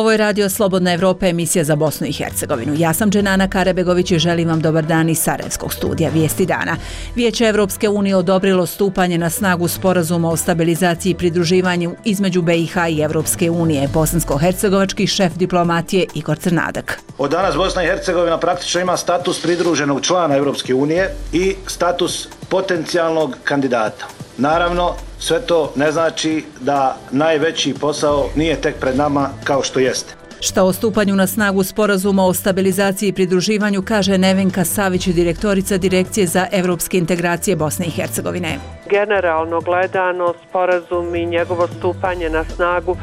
Ovo je Radio Slobodna Evropa, emisija za Bosnu i Hercegovinu. Ja sam Dženana Karabegović i želim vam dobar dan iz Sarajevskog studija Vijesti dana. Vijeće Evropske unije odobrilo stupanje na snagu sporazuma o stabilizaciji i pridruživanju između BiH i Evropske unije. Bosansko-hercegovački šef diplomatije Igor Crnadak. Od danas Bosna i Hercegovina praktično ima status pridruženog člana Evropske unije i status potencijalnog kandidata. Naravno, sve to ne znači da najveći posao nije tek pred nama kao što jeste. Šta o stupanju na snagu sporazuma o stabilizaciji i pridruživanju kaže Nevenka Savić, direktorica Direkcije za evropske integracije Bosne i Hercegovine. Generalno gledano, sporazum i njegovo stupanje na snagu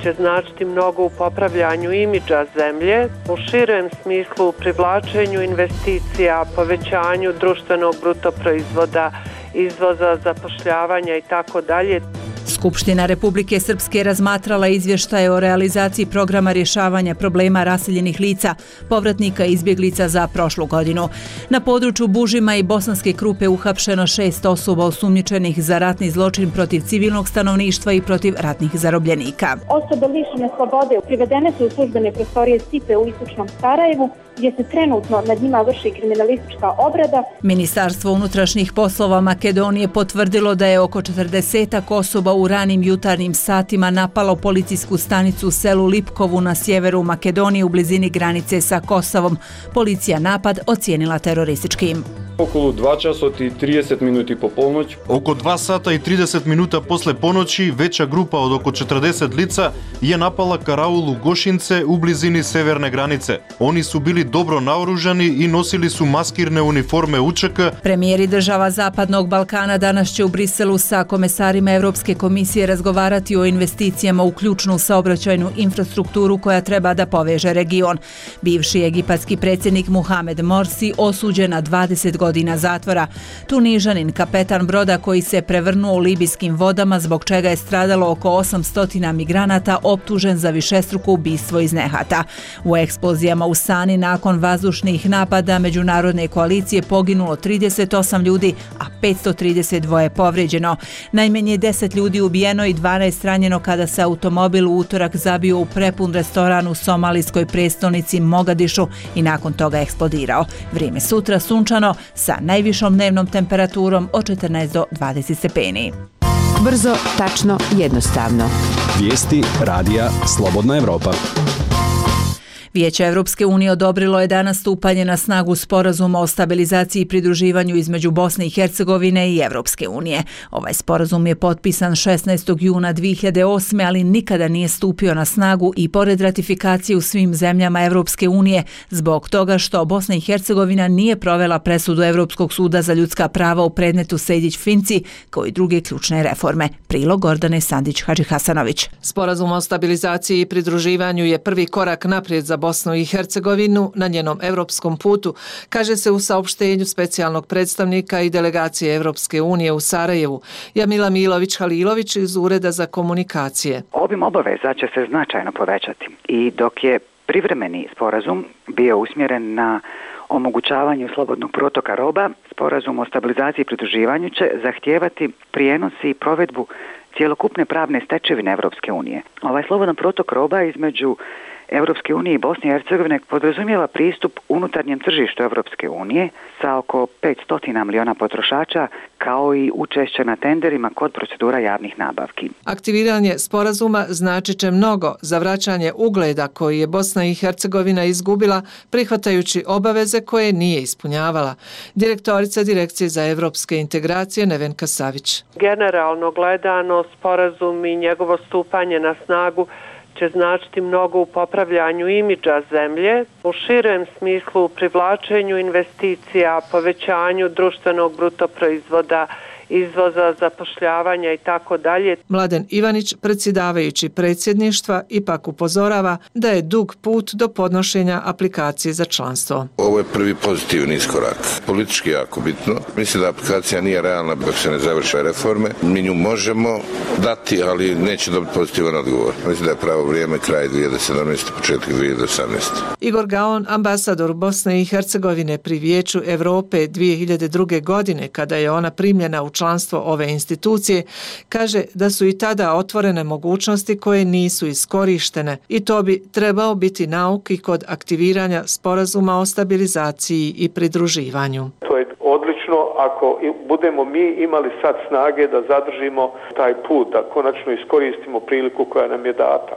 će značiti mnogo u popravljanju imidža zemlje, u širem smislu u privlačenju investicija, povećanju društvenog bruto proizvoda, izvoza, zapošljavanja i tako dalje. Skupština Republike Srpske razmatrala izvještaje o realizaciji programa rješavanja problema raseljenih lica, povratnika i izbjeglica za prošlu godinu. Na području Bužima i Bosanske Krupe uhapšeno 6 osoba osumnjičenih za ratni zločin protiv civilnog stanovništva i protiv ratnih zarobljenika. Osobe lišene slobode privedene su u službene prostorije SIPE u istočnom Sarajevu, gdje se trenutno nad njima vrši kriminalistička obrada. Ministarstvo unutrašnjih poslova Makedonije potvrdilo da je oko 40 osoba u ranim jutarnjim satima napalo policijsku stanicu u selu Lipkovu na sjeveru Makedonije u blizini granice sa Kosovom. Policija napad ocijenila terorističkim. Около 2 часа и 30 минути по полноć. Oko 2 sata i 30 minuta posle ponoći veća grupa od oko 40 lica je napala karaul u Gošince u blizini severne granice. Oni su bili dobro naoružani i nosili su maskirne uniforme UČK. Premijeri država Zapadnog Balkana danas će u Briselu sa komesarima Evropske komisije razgovarati o investicijama u ključnu saobraćajnu infrastrukturu koja treba da poveže region. Bivši egipatski predsjednik Muhamed Morsi osuđen na 20 godina zatvora. Tunižanin, kapetan broda koji se prevrnuo u libijskim vodama, zbog čega je stradalo oko 800 migranata, optužen za višestruko ubistvo iz nehata. U eksplozijama u Sani nakon vazdušnih napada međunarodne koalicije poginulo 38 ljudi, a 532 je povrijeđeno. Najmanje 10 ljudi ubijeno i 12 ranjeno kada se automobil u utorak zabio u prepun restoran u somalijskoj prestonici Mogadišu i nakon toga eksplodirao. Vrijeme sutra sunčano sa najvišom dnevnom temperaturom od 14 do 20 stepeni. Brzo, tačno, jednostavno. Vijesti Radija Slobodna Evropa. Vijeće Evropske unije odobrilo je danas stupanje na snagu sporazuma o stabilizaciji i pridruživanju između Bosne i Hercegovine i Evropske unije. Ovaj sporazum je potpisan 16. juna 2008. ali nikada nije stupio na snagu i pored ratifikacije u svim zemljama Evropske unije zbog toga što Bosna i Hercegovina nije provela presudu Evropskog suda za ljudska prava u predmetu Sejdić-Finci kao i druge ključne reforme. Prilog Gordane Sandić-Hadžihasanović. Sporazum o stabilizaciji i pridruživanju je prvi korak naprijed za Bosnu i Hercegovinu na njenom evropskom putu, kaže se u saopštenju specijalnog predstavnika i delegacije Evropske unije u Sarajevu, Jamila Milović-Halilović iz Ureda za komunikacije. Obim obaveza će se značajno povećati i dok je privremeni sporazum bio usmjeren na omogućavanju slobodnog protoka roba, sporazum o stabilizaciji i pridruživanju će zahtijevati prijenos i provedbu cjelokupne pravne stečevine Evropske unije. Ovaj slobodan protok roba između Evropske unije i Bosne i Hercegovine podrazumijeva pristup unutarnjem tržištu Evropske unije sa oko 500 miliona potrošača, kao i učešće na tenderima kod procedura javnih nabavki. Aktiviranje sporazuma značit će mnogo za vraćanje ugleda koji je Bosna i Hercegovina izgubila prihvatajući obaveze koje nije ispunjavala. Direktorica Direkcije za evropske integracije Nevenka Savić. Generalno gledano, sporazum i njegovo stupanje na snagu će značiti mnogo u popravljanju imidža zemlje, u širem smislu u privlačenju investicija, povećanju društvenog bruto proizvoda, izvoza, zapošljavanja i tako dalje. Mladen Ivanić, predsjedavajući predsjedništva, ipak upozorava da je dug put do podnošenja aplikacije za članstvo. Ovo je prvi pozitivni iskorak. Politički jako bitno. Mislim da aplikacija nije realna dok se ne završe reforme. Mi nju možemo dati, ali neće dobiti pozitivan odgovor. Mislim da je pravo vrijeme kraj 2017. početak 2018. Igor Gaon, ambasador Bosne i Hercegovine pri Vijeću Evrope 2002. godine, kada je ona primljena u članstvo ove institucije, kaže da su i tada otvorene mogućnosti koje nisu iskorištene i to bi trebao biti nauk i kod aktiviranja sporazuma o stabilizaciji i pridruživanju. To je odlično ako budemo mi imali sad snage da zadržimo taj put, da konačno iskoristimo priliku koja nam je data.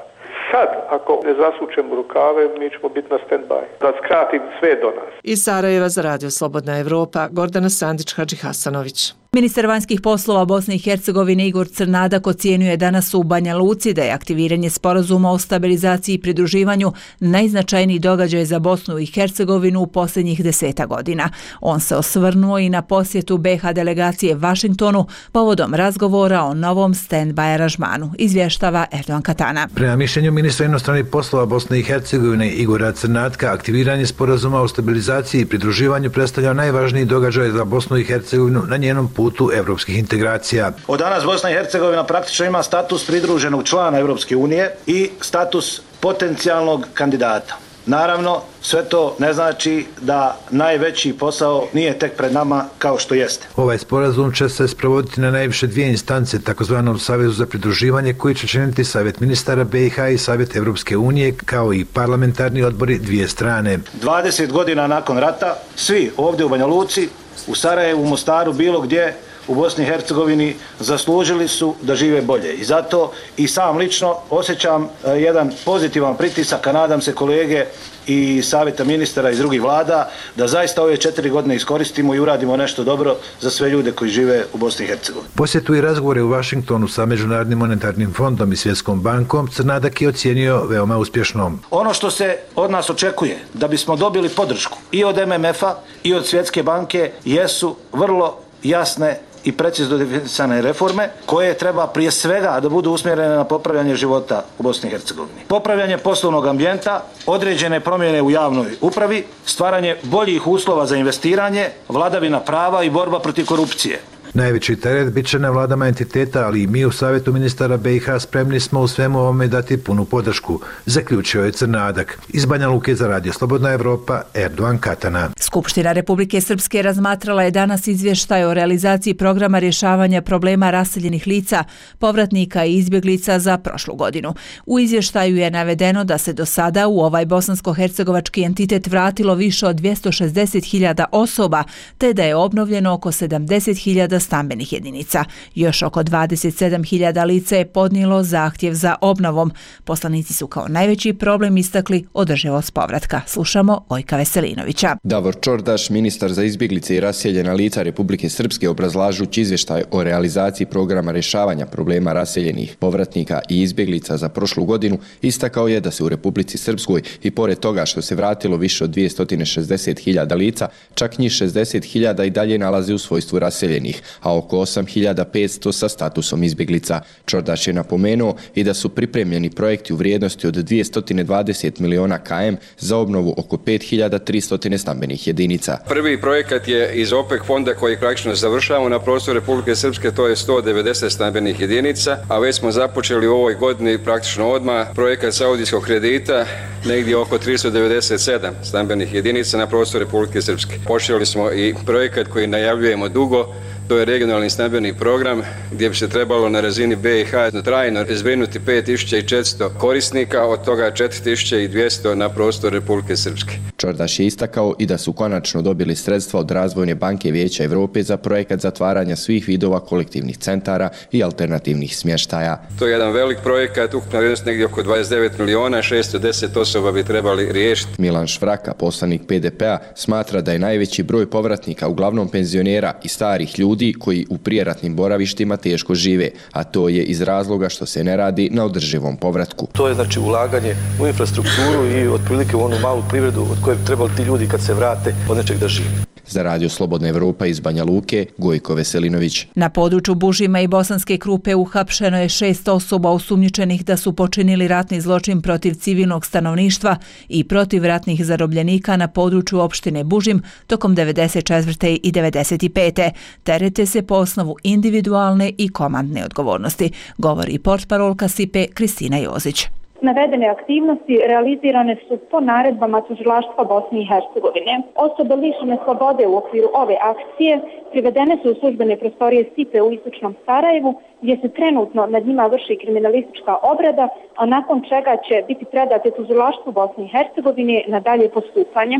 Sad, ako ne zasučemo rukave, mi ćemo biti na stand-by. Da skratim sve do nas. Iz Sarajeva za Radio Slobodna Evropa, Gordana Sandić-Hadžihasanović. Ministar vanjskih poslova Bosne i Hercegovine Igor Crnadak ocijenjuje danas u Banja Luci da je aktiviranje sporazuma o stabilizaciji i pridruživanju najznačajniji događaj za Bosnu i Hercegovinu u posljednjih 10 godina. On se osvrnuo i na posjetu BiH delegacije Vašingtonu povodom razgovora o novom stand-by aranžmanu, izvještava Erdogan Katana. Prema mišljenju ministra inostranih poslova Bosne i Hercegovine Igora Crnatka, aktiviranje sporazuma o stabilizaciji i pridruživanju predstavlja najvažniji događaj za Bosnu i Hercegovinu na njenom putu evropskih integracija. Od danas Bosna i Hercegovina praktično ima status pridruženog člana Europske unije i status potencijalnog kandidata. Naravno, sve to ne znači da najveći posao nije tek pred nama kao što jeste. Ovaj sporazum će se sprovoditi na najviše dvije instance, takozvanom Savezu za pridruživanje, koji će činiti Savjet ministara BiH i Savjet Evropske unije, kao i parlamentarni odbori dvije strane. 20 godina nakon rata, svi ovdje u Banja Luci, u Sarajevu, u Mostaru, bilo gdje u Bosni i Hercegovini zaslužili su da žive bolje. I zato i sam lično osjećam jedan pozitivan pritisak, a nadam se kolege i savjeta ministara iz drugih vlada, da zaista ove 4 godine iskoristimo i uradimo nešto dobro za sve ljude koji žive u Bosni i Hercegovini. Posjetu i razgovore u Vašingtonu sa Međunarodnim monetarnim fondom i Svjetskom bankom Crnadak je ocijenio veoma uspješnom. Ono što se od nas očekuje da bismo dobili podršku i od MMF-a i od Svjetske banke jesu vrlo jasne i precizno definisane reforme koje treba prije svega da budu usmjerene na popravljanje života u Bosni i Hercegovini. Popravljanje poslovnog ambijenta, određene promjene u javnoj upravi, stvaranje boljih uslova za investiranje, vladavina prava i borba protiv korupcije. Najveći teret bit će na vladama entiteta, ali i mi u Savjetu ministara BiH spremni smo u svemu ovome dati punu podršku, zaključio je Crnadak. Iz Banja Luke za Radio Slobodna Evropa, Erdogan Katana. Skupština Republike Srpske razmatrala je danas izvještaj o realizaciji programa rješavanja problema raseljenih lica, povratnika i izbjeglica za prošlu godinu. U izvještaju je navedeno da se do sada u ovaj bosansko-hercegovački entitet vratilo više od 260.000 osoba, te da je obnovljeno oko 70.000 stambenih jedinica. Još oko 27.000 lica je podnijelo zahtjev za obnovom. Poslanici su kao najveći problem istakli održivost povratka. Slušamo Vojka Veselinovića. Davor Čordaš, ministar za izbjeglice i raseljena lica Republike Srpske, obrazlažući izvještaj o realizaciji programa rješavanja problema raseljenih povratnika i izbjeglica za prošlu godinu, istakao je da se u Republici Srpskoj i pored toga što se vratilo više od 260.000 lica, čak njih 60.000 i dalje nalazi u svojstvu raseljenih, a oko 8.500 sa statusom izbjeglica. Čordaš je napomenuo i da su pripremljeni projekti u vrijednosti od 220 miliona km za obnovu oko 5.300 stambenih jedinica. Prvi projekat je iz OPEC fonda koji praktično završavamo na prostoru Republike Srpske, to je 190 stambenih jedinica, a već smo započeli u ovoj godini praktično odmah projekat saudijskog kredita, negdje oko 397 stambenih jedinica na prostoru Republike Srpske. Počeli smo i projekat koji najavljujemo dugo, to je regionalni stambeni program gdje bi se trebalo na razini BiH trajno zbrinuti 5.400 korisnika, od toga 4.200 na prostoru Republike Srpske. Čordaš je istakao i da su konačno dobili sredstva od Razvojne banke Vijeća Evrope za projekat zatvaranja svih vidova kolektivnih centara i alternativnih smještaja. To je jedan velik projekat, ukupna vrijednost negdje oko 29 miliona, 610 osoba bi trebali riješiti. Milan Švraka, poslanik PDP-a, smatra da je najveći broj povratnika uglavnom penzionera i starih ljudi koji u prijeratnim boravištima teško žive, a to je iz razloga što se ne radi na održivom povratku. To je znači ulaganje u infrastrukturu i otprilike u onu malu privredu od koje bi trebali ti ljudi kad se vrate od nečeg da žive. Za Radio Slobodna Evropa iz Banja Luke, Gojko Veselinović. Na području Bužima i Bosanske Krupe uhapšeno je 6 osoba osumnjičenih da su počinili ratni zločin protiv civilnog stanovništva i protiv ratnih zarobljenika na području opštine Bužim tokom 94. i 95. Terete se po osnovu individualne i komandne odgovornosti, govori portparolka SIPE Kristina Jozić. Navedene aktivnosti realizirane su po naredbama tužilaštva Bosne i Hercegovine. Osobe lišene slobode u okviru ove akcije privedene su u službene prostorije SIPE u istočnom Sarajevu, gdje se trenutno nad njima vrši kriminalistička obrada, a nakon čega će biti predate tužilaštvu Bosne i Hercegovine na dalje postupanje.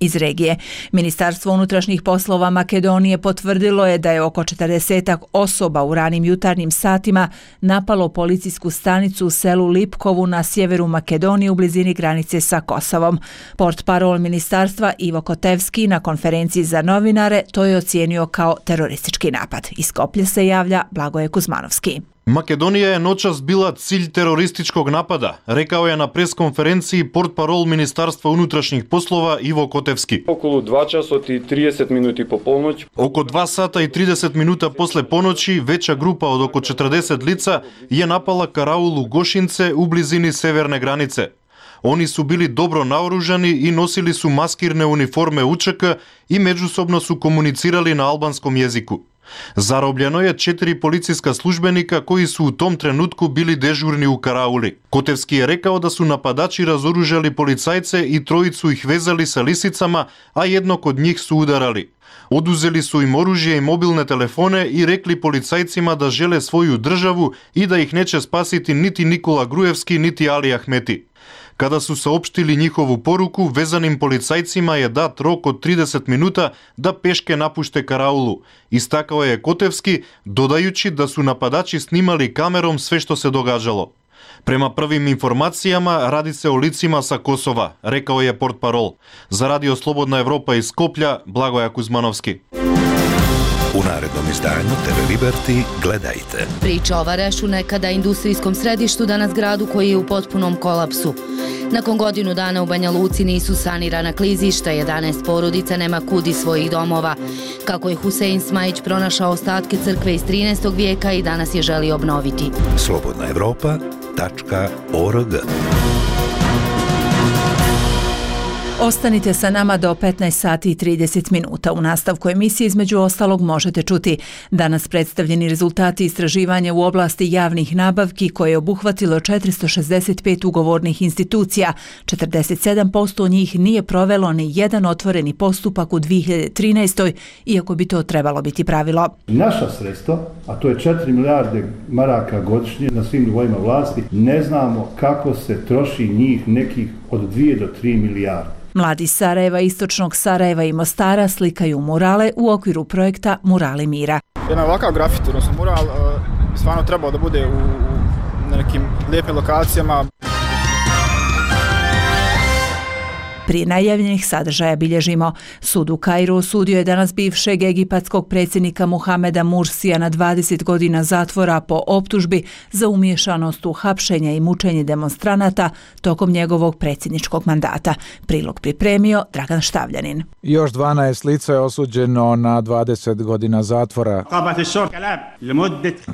Iz regije. Ministarstvo unutrašnjih poslova Makedonije potvrdilo je da je oko 40 osoba u ranim jutarnjim satima napalo policijsku stanicu u selu Lipkovu na sjeveru Makedonije u blizini granice sa Kosovom. Portparol ministarstva Ivo Kotevski na konferenciji za novinare to je ocijenio kao teroristički napad. Iz Skoplja se javlja Blagoje Kuzmanovski. Македонија е ночас била цилј терористичког напада, рекао е на пресконференција портпарол Министарство унутрашних послова Иво Котевски. Околу 2 часот и 30 минути по полноќ. Око 2 сата и 30 минута после поноќи, веча група од око 40 лица ја напала караул у Гошинце у близини северне границе. Они су били добро наоружани и носили су маскирне униформе УЧК и меѓусобно су комуницирали на албанском језику. Заробljeno je 4 policijska službenika koji su u tom trenutku bili dežurni u karauli. Kotevski je rekao da su napadači razoružali policajce i trojicu ih vezali sa lisicama, a jednog od njih su udarali. Oduzeli su im oružje i mobilne telefone i rekli policajcima da žele svoju državu i da ih neće spasiti niti Nikola Grujevski niti Ali Ahmeti. Kada su saopštili njihovu poruku, vezanim policajcima je dat rok od 30 minuta da peške napušte karaulu. Istakao je Kotevski, dodajući da su napadači snimali kamerom sve što se događalo. Prema prvim informacijama radi se o licima sa Kosova, rekao je portparol. Za Radio Slobodna Evropa iz Skoplja, Blagoja Kuzmanovski. U narednom izdanju TV Liberty gledajte. Priča o Varešu, nekada industrijskom središtu, danas gradu koji je u potpunom kolapsu. Nakon godinu dana u Banja Luci nisu sanirana klizišta, 11 porodica nema kud iz svojih domova. Kako je Husein Smajić pronašao ostatke crkve iz 13. vijeka i danas je želi obnoviti. slobodnaevropa.org. Ostanite sa nama do 15 sati i 30 minuta. U nastavku emisije između ostalog možete čuti danas predstavljeni rezultati istraživanja u oblasti javnih nabavki koje je obuhvatilo 465 ugovornih institucija. 47% njih nije provelo ni jedan otvoreni postupak u 2013. iako bi to trebalo biti pravilo. Naša sredstva, a to je 4 milijarde maraka godišnje na svim nivoima vlasti, ne znamo kako se troši njih nekih od 2 do 3 milijarde. Mladi Sarajeva, istočnog Sarajeva i Mostara slikaju murale u okviru projekta Murali mira. Jedan ovakav grafit, odnosno mural, stvarno trebao da bude na nekim lijepim lokacijama. Prije najavljenih sadržaja bilježimo. Sud u Kairu osudio je danas bivšeg egipatskog predsjednika Muhameda Mursija na 20 godina zatvora po optužbi za umiješanost u hapšenja i mučenje demonstranata tokom njegovog predsjedničkog mandata. Prilog pripremio Dragan Štavljanin. Još 12 lica je osuđeno na 20 godina zatvora.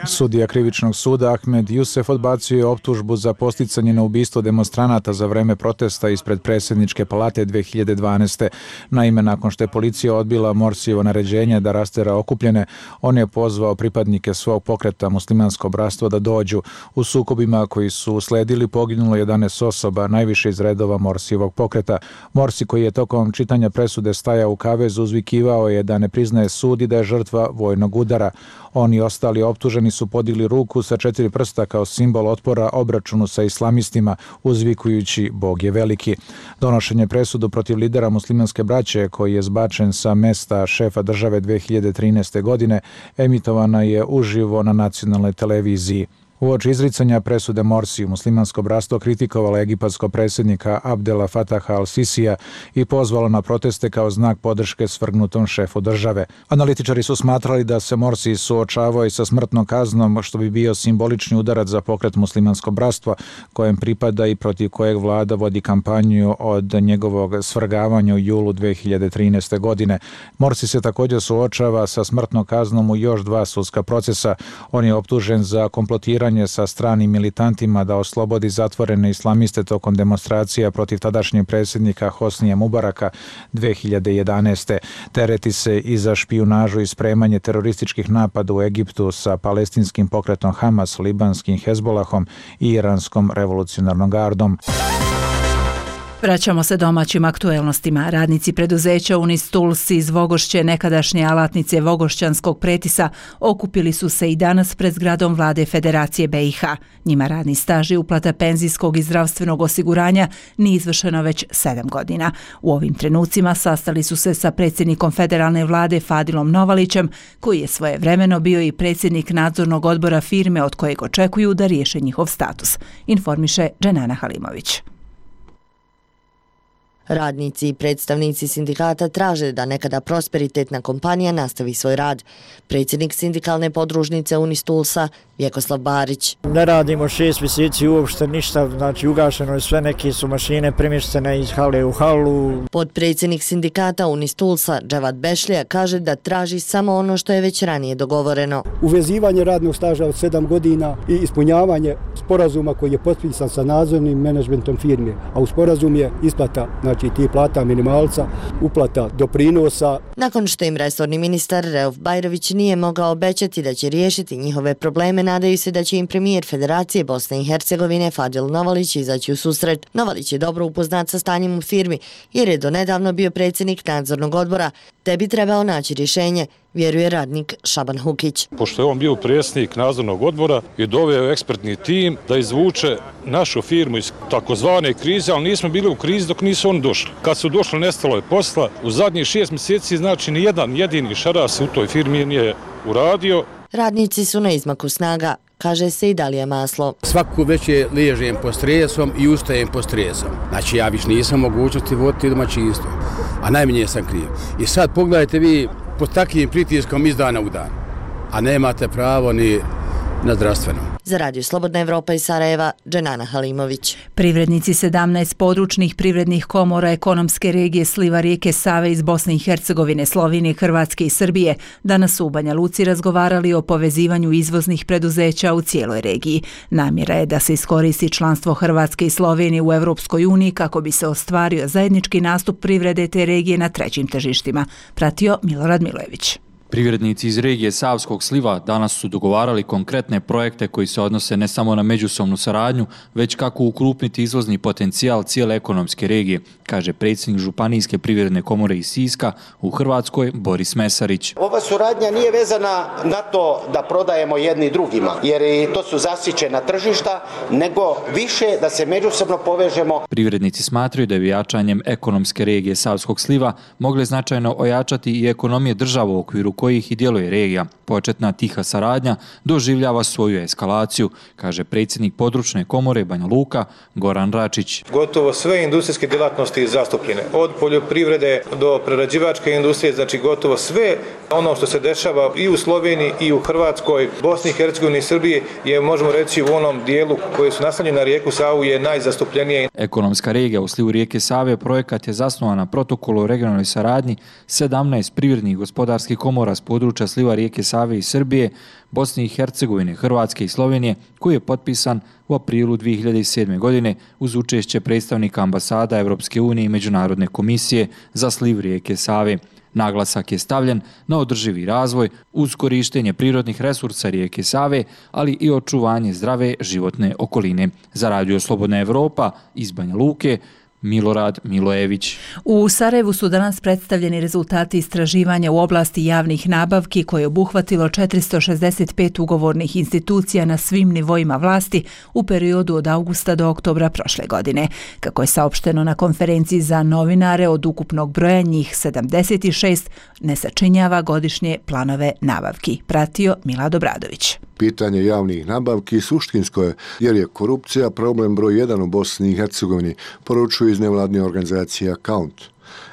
Sudija krivičnog suda Ahmed Youssef odbacio je optužbu za posticanje na ubistvo demonstranata za vreme protesta ispred predsjedničke palate 2012. Naime, nakon što je policija odbila Morsijevo naređenje da rastera okupljene, on je pozvao pripadnike svog pokreta Muslimansko bratstvo da dođu. U sukobima koji su usledili poginulo 11 osoba, najviše iz redova Morsijevog pokreta. Morsi, koji je tokom čitanja presude stajao u kavezu, uzvikivao je da ne priznaje sud i da je žrtva vojnog udara. Oni i ostali optuženi su podigli ruku sa 4 prsta kao simbol otpora obračunu sa islamistima, uzvikujući Bog je veliki. Donošenje presudu protiv lidera muslimanske braće, koji je zbačen sa mesta šefa države 2013. godine, emitovana je uživo na nacionalnoj televiziji. Uoči izricanja presude Morsiju, muslimansko bratstvo kritikovalo egipatsko predsjednika Abdela Fataha al-Sisija i pozvalo na proteste kao znak podrške svrgnutom šefu države. Analitičari su smatrali da se Morsi suočavao i sa smrtnom kaznom, što bi bio simbolični udarac za pokret muslimansko bratstva, kojem pripada i protiv kojeg vlada vodi kampanju od njegovog svrgavanja u julu 2013. godine. Morsi se također suočava sa smrtnom kaznom u još 2 sudska procesa. On je optužen za komplotiranje sarađivanje sa stranim militantima da oslobodi zatvorene islamiste tokom demonstracija protiv tadašnjeg predsjednika Hosnija Mubaraka 2011. Tereti se i za špijunažu i spremanje terorističkih napada u Egiptu sa palestinskim pokretom Hamas, libanskim Hezbolahom i iranskom revolucionarnom gardom. Vraćamo se domaćim aktuelnostima. Radnici preduzeća Unistuls iz Vogošće, nekadašnje alatnice Vogošćanskog pretisa, okupili su se i danas pred zgradom Vlade Federacije BiH. Njima radni staž i uplata penzijskog i zdravstvenog osiguranja nije izvršeno već 7 godina. U ovim trenucima sastali su se sa predsjednikom federalne vlade Fadilom Novalićem, koji je svojevremeno bio i predsjednik nadzornog odbora firme od kojeg očekuju da riješe njihov status, informiše Dženana Halimović. Radnici i predstavnici sindikata traže da nekada prosperitetna kompanija nastavi svoj rad. Predsjednik sindikalne podružnice Unistulsa Vjekoslav Barić. Ne radimo 6 mjeseci uopšte ništa, znači ugašeno je sve, neke su mašine premještene iz hale u halu. Podpredsjednik sindikata Unistulsa Dževat Bešlija kaže da traži samo ono što je već ranije dogovoreno. Uvezivanje radnog staža od 7 godina i ispunjavanje sporazuma koji je potpisan sa nadzornim menadžmentom firme, a u sporazum je isplata, znači ti plata minimalca, uplata doprinosa. Nakon što im resorni ministar Reuf Bajrović nije mogao obećati da će riješiti njihove probleme, nadaju se da će im premijer Federacije Bosne i Hercegovine Fadil Novalić izaći u susret. Novalić je dobro upoznat sa stanjem u firmi jer je donedavno bio predsjednik nadzornog odbora, te bi trebao naći rješenje, vjeruje radnik Šaban Hukić. Pošto je on bio predsjednik nadzornog odbora i doveo ekspertni tim da izvuče našu firmu iz takozvane krize, ali nismo bili u krizi dok nisu oni došli. Kad su došli, nestalo je posla. U zadnjih 6 mjeseci, znači, ni jedan jedini šaras u toj firmi nije uradio. Radnici su na izmaku snaga, kaže se i Dalija Maslo. Svaku večer ležem pod stresom i ustajem pod stresom. Znači ja više nisam mogućnosti voditi domaćinstvo, a najmanje sam kriv. I sad pogledajte vi pod takvim pritiskom iz dana u dan, a nemate pravo ni na zdravstveno. Za Radio Slobodna Evropa iz Sarajeva, Dženana Halimović. Privrednici 17 područnih privrednih komora ekonomske regije sliva rijeke Save iz Bosne i Hercegovine, Slovenije, Hrvatske i Srbije danas su u Banja Luci razgovarali o povezivanju izvoznih preduzeća u cijeloj regiji. Namjera je da se iskoristi članstvo Hrvatske i Slovenije u Europskoj uniji kako bi se ostvario zajednički nastup privrede te regije na trećim tržištima, pratio Milorad Milojević. Privrednici iz regije Savskog sliva danas su dogovarali konkretne projekte koji se odnose ne samo na međusobnu saradnju, već kako ukrupniti izvozni potencijal cijele ekonomske regije, kaže predsjednik Županijske privredne komore iz Siska u Hrvatskoj Boris Mesarić. Ova suradnja nije vezana na to da prodajemo jedni drugima, jer i to su zasićena tržišta, nego više da se međusobno povežemo. Privrednici smatraju da je jačanjem ekonomske regije Savskog sliva mogle značajno ojačati i ekonomije država u okviru kojih i djeluje regija. Početna tiha saradnja doživljava svoju eskalaciju, kaže predsjednik područne komore Banja Luka Goran Račić. Gotovo sve industrijske djelatnosti zastupljene, od poljoprivrede do prerađivačke industrije, znači gotovo sve ono što se dešava i u Sloveniji i u Hrvatskoj, Bosni i Hercegovini i Srbiji je, možemo reći, u onom dijelu koji su naslonjeni na rijeku Savu je najzastupljenije. Ekonomska regija u slivu rijeke Save projekat je zasnovan na protokolu o regionalnoj saradnji 17 privrednih gospodarskih komora s područja sliva rijeke Save i Srbije, Bosne i Hercegovine, Hrvatske i Slovenije, koji je potpisan u aprilu 2007. godine uz učešće predstavnika ambasada Evropske unije i Međunarodne komisije za sliv rijeke Save. Naglasak je stavljen na održivi razvoj uz korištenje prirodnih resursa rijeke Save, ali i očuvanje zdrave životne okoline. Za Radio Slobodna Evropa iz Banja Luke, Milorad Milojević. U Sarajevu su danas predstavljeni rezultati istraživanja u oblasti javnih nabavki koje je obuhvatilo 465 ugovornih institucija na svim nivoima vlasti u periodu od augusta do oktobra prošle godine. Kako je saopšteno na konferenciji za novinare, od ukupnog broja njih 76 ne sačinjava godišnje planove nabavki. Pratio Milad Obradović. Pitanje javnih nabavki suštinsko je jer je korupcija problem broj 1 u Bosni i Hercegovini, poručuju iz nevladne organizacije Account.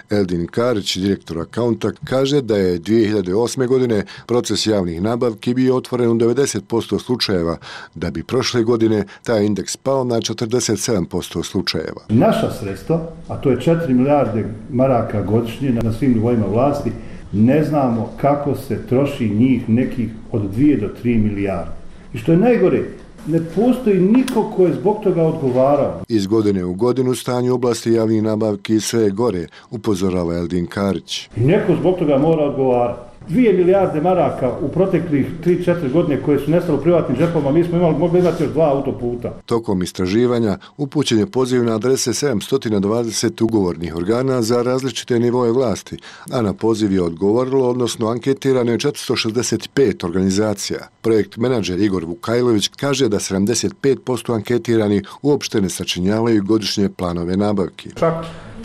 Eldin Karić, direktor Accounta, kaže da je 2008. godine proces javnih nabavki bio otvoren u 90% slučajeva, da bi prošle godine taj indeks pao na 47% slučajeva. Naša sredstva, a to je 4 milijarde maraka godišnje na svim nivoima vlasti, ne znamo kako se troši njih nekih od 2 do 3 milijarde. I što je najgore, Ne postoji niko ko je zbog toga odgovarao. Iz godine u godinu stanje u oblasti javnih nabavki sve je gore, upozorava Eldin Karić. I neko zbog toga mora odgovarati. 2 milijarde maraka u proteklih 3-4 godine koje su nestalo u privatnim džepovima, mi smo mogli imati još 2 autoputa. Tokom istraživanja upućen je poziv na adrese 720 ugovornih organa za različite nivoje vlasti, a na poziv je odgovorilo, odnosno anketirano je 465 organizacija. Projekt menadžer Igor Vukajlović kaže da 75% anketiranih uopšte ne sačinjavaju godišnje planove nabavki. Čak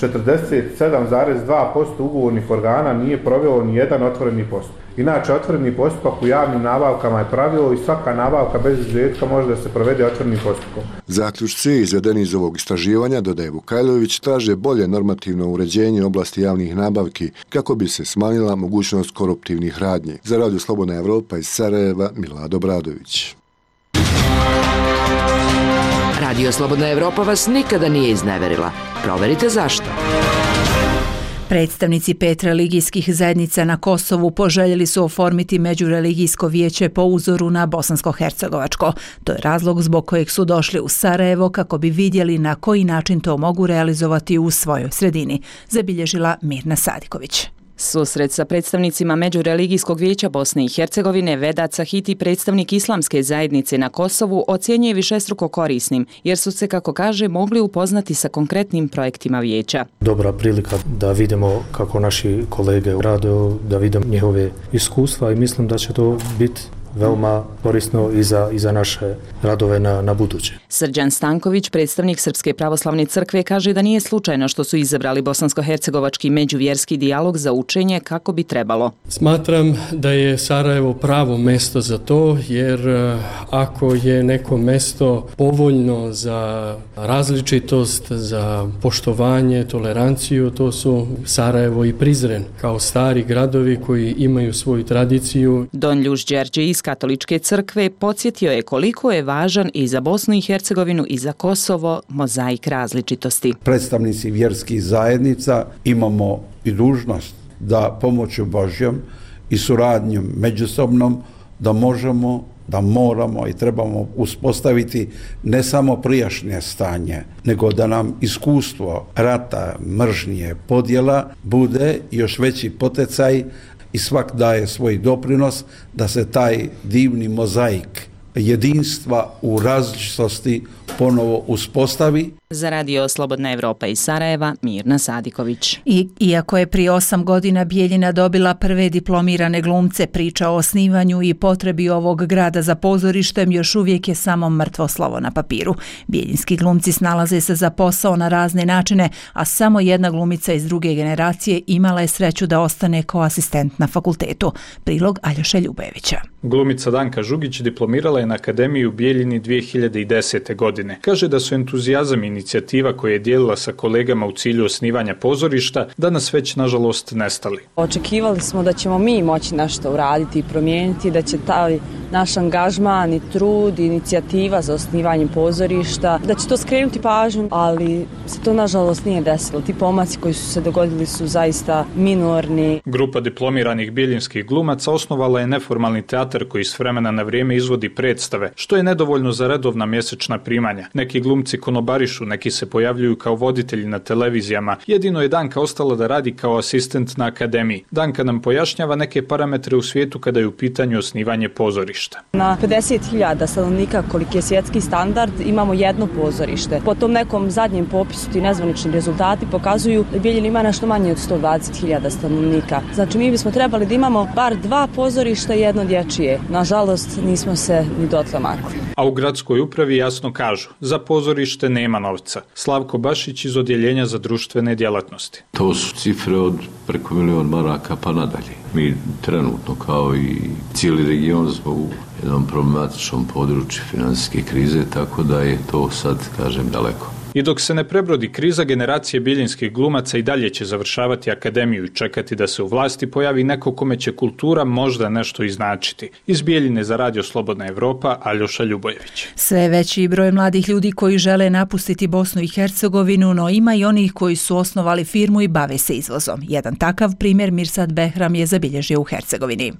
47,2% ugovornih organa nije provelo ni jedan otvoreni postupak. Inače, otvoreni postupak u javnim nabavkama je pravilo i svaka nabavka bez izuzetka može da se provede otvorenim postupkom. Zaključci izvedeni iz ovog istraživanja, dodaje Vukajlović, traže bolje normativno uređenje oblasti javnih nabavki kako bi se smanjila mogućnost koruptivnih radnji. Za Radio Slobodna Evropa iz Sarajeva, Milad Obradović. Radio Slobodna Evropa vas nikada nije izneverila. Proverite zašto. Predstavnici 5 religijskih zajednica na Kosovu poželjeli su oformiti međureligijsko vijeće po uzoru na bosansko-hercegovačko. To je razlog zbog kojeg su došli u Sarajevo kako bi vidjeli na koji način to mogu realizovati u svojoj sredini, zabilježila Mirna Sadiković. Susret sa predstavnicima Međureligijskog vijeća Bosne i Hercegovine Vedat Sahiti, predstavnik islamske zajednice na Kosovu, ocjenjuje višestruko korisnim, jer su se, kako kaže, mogli upoznati sa konkretnim projektima vijeća. Dobra prilika da vidimo kako naši kolege rade, da vidimo njihove iskustva i mislim da će to biti veoma korisno i za naše radove na buduće. Srđan Stanković, predstavnik Srpske pravoslavne crkve, kaže da nije slučajno što su izabrali bosansko-hercegovački međuvjerski dijalog za učenje kako bi trebalo. Smatram da je Sarajevo pravo mesto za to, jer ako je neko mesto povoljno za različitost, za poštovanje, toleranciju, to su Sarajevo i Prizren, kao stari gradovi koji imaju svoju tradiciju. Don Ljuš Đerđe iz Katoličke crkve podsjetio je koliko je važan i za Bosnu i Hercegovinu i za Kosovo mozaik različitosti. Predstavnici vjerskih zajednica imamo i dužnost da pomoću Božjom i suradnjom međusobnom da možemo, da moramo i trebamo uspostaviti ne samo prijašnje stanje, nego da nam iskustvo rata, mržnje, podjela bude još veći poticaj i svak daje svoj doprinos da se taj divni mozaik jedinstva u različitosti ponovo uspostavi. Za Radio Slobodna Evropa iz Sarajeva, Mirna Sadiković. Iako je prije 8 godina Bijeljina dobila prve diplomirane glumce, priča o osnivanju i potrebi ovog grada za pozorištem još uvijek je samo mrtvo slovo na papiru. Bijeljinski glumci snalaze se za posao na razne načine, a samo jedna glumica iz druge generacije imala je sreću da ostane kao asistent na fakultetu. Prilog Aljoše Ljubojevića. Glumica Danka Žugić diplomirala je na Akademiji u Bijeljini 2010. godine. Kaže da su entuzijazam i inicijativa koje je dijelila sa kolegama u cilju osnivanja pozorišta danas već nažalost nestali. Očekivali smo da ćemo mi moći nešto uraditi i promijeniti, da će taj naš angažman i trud i inicijativa za osnivanje pozorišta, da će to skrenuti pažnju, ali se to nažalost nije desilo. Ti pomaci koji su se dogodili su zaista minorni. Grupa diplomiranih bijeljinskih glumaca osnovala je neformalni teatar koji s vremena na vrijeme izvodi predstave, što je nedovoljno za redovna mjesečna primanja. Neki glumci konobarišu, neki se pojavljuju kao voditelji na televizijama. Jedino je Danka ostala da radi kao asistent na akademiji. Danka nam pojašnjava neke parametre u svijetu kada je u pitanju osnivanje pozorišta. Na 50.000 stanovnika, koliki je svjetski standard, imamo jedno pozorište. Po tom nekom zadnjem popisu ti nezvanični rezultati pokazuju da Bijeljina ima nešto manje od 120.000 stanovnika. Znači mi bismo trebali da imamo bar 2 pozorišta i jedno dječje. Nažalost nismo se ni dotle makli. A u gradskoj upravi jasno kažu, za pozorište nema novca. Slavko Bašić iz Odjeljenja za društvene djelatnosti. To su cifre od preko 1 milion maraka pa nadalje. Mi trenutno kao i cijeli region smo u jednom problematičnom području financijske krize, tako da je to sad, kažem, daleko. I dok se ne prebrodi kriza, generacije bijeljinskih glumaca i dalje će završavati akademiju i čekati da se u vlasti pojavi neko kome će kultura možda nešto iznačiti. Iz Bijeljine za Radio Slobodna Evropa, Aljoša Ljubojević. Sve veći broj mladih ljudi koji žele napustiti Bosnu i Hercegovinu, no ima i onih koji su osnovali firmu i bave se izvozom. Jedan takav primjer Mirsad Behram je zabilježio u Hercegovini.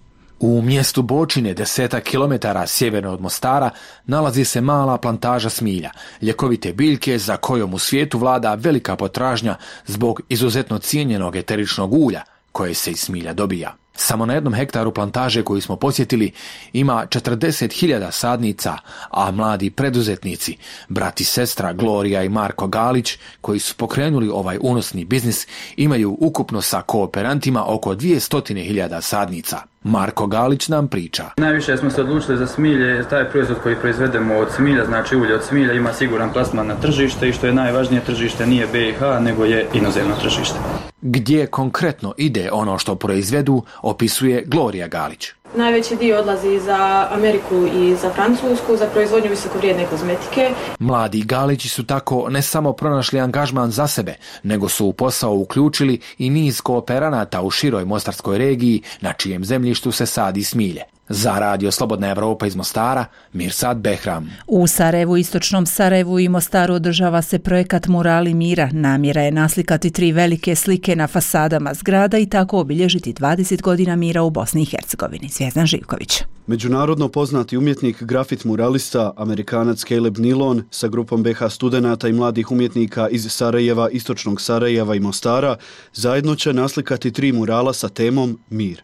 U mjestu Bočine, 10 kilometara sjeverno od Mostara, nalazi se mala plantaža smilja, ljekovite biljke za kojom u svijetu vlada velika potražnja zbog izuzetno cijenjenog eteričnog ulja koje se iz smilja dobija. Samo na 1 hektaru plantaže koju smo posjetili ima 40.000 sadnica, a mladi preduzetnici, brat i sestra Gloria i Marko Galić, koji su pokrenuli ovaj unosni biznis, imaju ukupno sa kooperantima oko 200.000 sadnica. Marko Galić nam priča. Najviše smo se odlučili za smilje, taj proizvod koji proizvedemo od smilja, znači ulje od smilja, ima siguran plasman na tržište i što je najvažnije, tržište nije BiH, nego je inozemno tržište. Gdje konkretno ide ono što proizvedu, opisuje Gloria Galić. Najveći dio odlazi za Ameriku i za Francusku, za proizvodnju visokovrijedne kozmetike. Mladi Galići su tako ne samo pronašli angažman za sebe, nego su u posao uključili i niz kooperanata u široj mostarskoj regiji, na čijem zemljištu se sadi smilje. Za Radio Slobodna Evropa iz Mostara, Mirsad Behram. U Sarajevu, istočnom Sarajevu i Mostaru održava se projekat Murali mira. Namjera je naslikati 3 velike slike na fasadama zgrada i tako obilježiti 20 godina mira u Bosni i Hercegovini. Zvijezdan Živković. Međunarodno poznati umjetnik, grafit muralista, Amerikanac Caleb Nilon sa grupom BH studenata i mladih umjetnika iz Sarajeva, istočnog Sarajeva i Mostara zajedno će naslikati 3 murala sa temom Mir.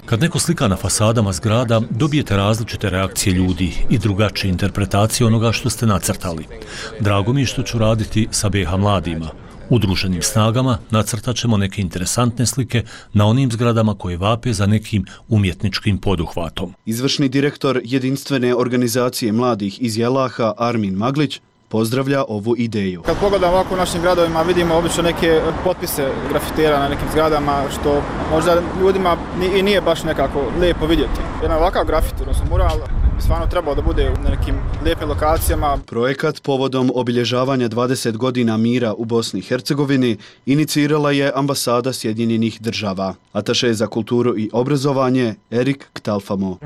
Kad neko slika na fasadama zgrada, dobijete različite reakcije ljudi i drugačije interpretacije onoga što ste nacrtali. Drago mi je što ću raditi sa BH mladima. Udruženim snagama nacrtat ćemo neke interesantne slike na onim zgradama koje vape za nekim umjetničkim poduhvatom. Izvršni direktor jedinstvene organizacije mladih iz Jelaha, Armin Maglić, pozdravlja ovu ideju. Kad pogledamo ovako u našim gradovima, vidimo obično neke potpise grafitera na nekim zgradama, što možda ljudima i nije baš nekako lijepo vidjeti. Jedan ovakav grafit, odnosno mural, stvarno trebao da bude na nekim lijepim lokacijama. Projekat povodom obilježavanja 20 godina mira u Bosni i Hercegovini inicirala je ambasada Sjedinjenih država. Ataše za kulturu i obrazovanje Erik Ktalfamo.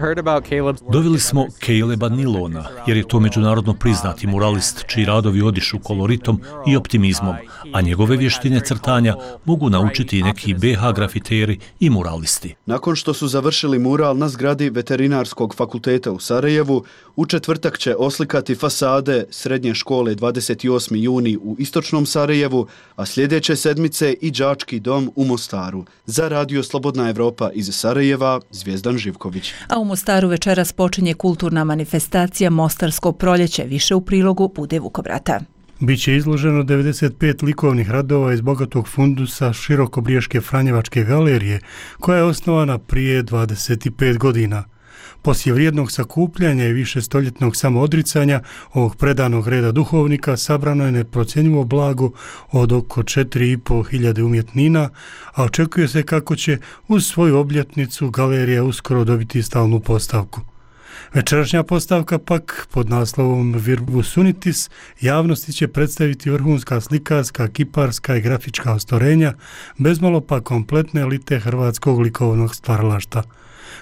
Doveli smo Caleba Nilona, jer je to međunarodno priznati muralist čiji radovi odišu koloritom i optimizmom, a njegove vještine crtanja mogu naučiti i neki BH grafiteri i muralisti. Nakon što su završili mural na zgradi Veterinarskog fakulteta u Sarajevu, u četvrtak će oslikati fasade srednje škole 28. juni u istočnom Sarajevu, a sljedeće sedmice i đački dom u Mostaru. Za Radio Slobodna Evropa iz Sarajeva, Zvijezdan Živković. A u Mostaru večeras počinje kulturna manifestacija Mostarsko proljeće, više u prilogu Bude Vukobrata. Biće izloženo 95 likovnih radova iz bogatog fundusa Širokobriješke Franjevačke galerije, koja je osnovana prije 25 godina. Poslije vrijednog sakupljanja i višestoljetnog samoodricanja ovog predanog reda duhovnika sabrano je neprocjenjivo blago od oko 4.500 umjetnina, a očekuje se kako će uz svoju obljetnicu galerija uskoro dobiti stalnu postavku. Večerašnja postavka pak pod naslovom Virbus Unitis javnosti će predstaviti vrhunska slikarska, kiparska i grafička ostvarenja, bezmalo pa kompletne elite hrvatskog likovnog stvaralaštva.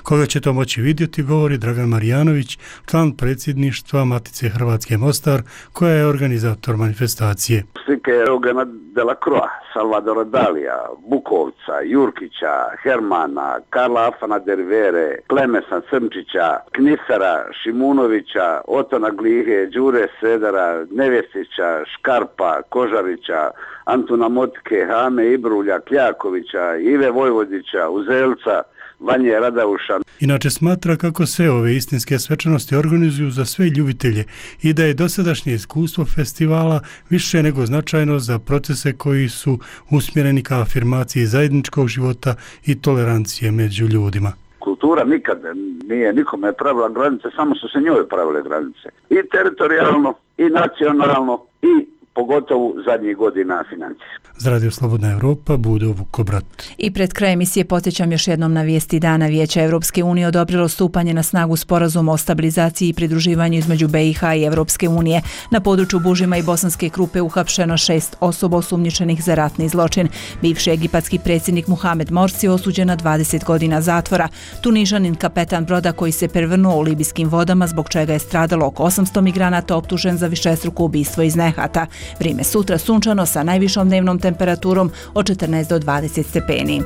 Koga će to moći vidjeti, govori Dragan Marijanović, član predsjedništva Matice Hrvatske Mostar, koja je organizator manifestacije. Slike Eugena Delacroix, Salvadora Dalija, Bukovca, Jurkića, Hermana, Karla Afana Dervere, Klemesa Crnčića, Knifera, Šimunovića, Otona Glihe, Đure Sedara, Nevjestića, Škarpa, Kožarića, Antuna Motike, Hame Ibrulja, Kljakovića, Ive Vojvodića, Uzelca, Vanje Radauša. Inače smatra kako se ove istinske svečanosti organizuju za sve ljubitelje i da je dosadašnje iskustvo festivala više nego značajno za procese koji su usmjereni ka afirmaciji zajedničkog života i tolerancije među ljudima. Kultura nikad nije nikome pravila granice, samo su se njoj pravile granice. I teritorijalno, i nacionalno, i pogotovo zadnjih godina financijski. Za Radio Slobodna Evropa, Bude Vukobrat. I pred kraj emisije podsjećam još jednom na vijesti dana. Vijeće Evropske unije odobrilo stupanje na snagu sporazuma o stabilizaciji i pridruživanju između BiH i Evropske unije. Na području Bužima i Bosanske Krupe uhapšeno 6 osoba osumnjičenih za ratni zločin. Bivši egipatski predsjednik Muhamed Morsi osuđen na 20 godina zatvora. Tunižanin kapetan broda koji se prevrnuo u libijskim vodama, zbog čega je stradalo oko 800 migranata, optužen za višestruko ubistvo iz nehata. Vrijeme sutra sunčano sa najvišom dnevnom temperaturom od 14 do 20 stepeni.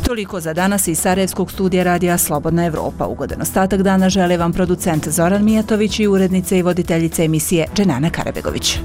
Toliko za danas iz Sarajevskog studija radija Slobodna Evropa. Ugodan ostatak dana žele vam producent Zoran Mijatović i urednice i voditeljice emisije Dženana Karabegović.